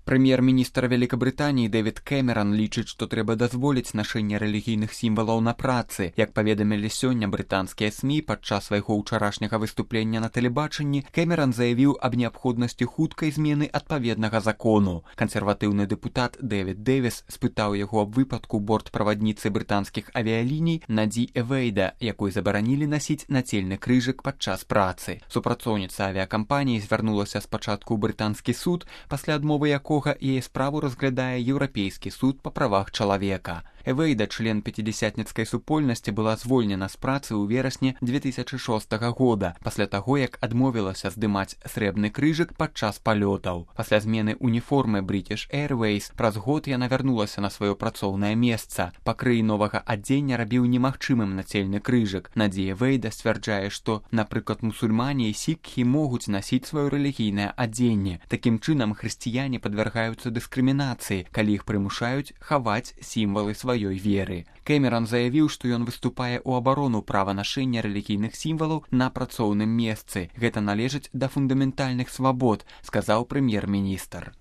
Прэм'ер-міністр Вялікабрытаніі Дэвід Кэмеран лічыць, што трэба дазволіць нашэнне рэлігійных сімвалаў на працы. Як паведамілі сёння брытанскія СМІ падчас свайго ўчарашняга выступлення на тэлебачанні, Кэмеран заявіў аб неабходнасці хуткай змены адпаведнага закону. Кансерватыўны дэпутат Дэвід Дэвіс спытаў яго аб выпадку бортправадніцы брытанскіх авіяліній Наді Эвейда, якой забаранілі насіць нацельны крыжык падчас працы. Супрацоўніца авіякампаніі звярнулася спачатку ў брытанскі суд, пасля адмовы якога яе справу разглядае Еўрапейскі суд па правах чалавека. Эвейда, член пяцідзясятніцкай супольнасці, была звольнена з працы ў верасні 2006 года, пасля таго, як адмовілася здымаць срэбны крыжык падчас палётаў. Пасля змены уніформы British Airways праз год яна вярнулася на сваё працоўнае месца. Пакрый новага адзення рабіў немагчымым нацельны крыжык. Наді Эвейда сцвярджае, што, напрыклад, мусульмане і сікхі могуць насіць сваё рэлігійнае адзенне. Такім чынам, хрысціяне падвяргаюцца дыскрымінацыі, калі іх прымушаюць хаваць сімвалы сваёй веры. Кэмеран заявіў, што ён выступае ў абарону права нашэння рэлігійных сімвалаў на працоўным месцы. Гэта належыць да фундаментальных свабод, сказаў прэм'ер-міністр.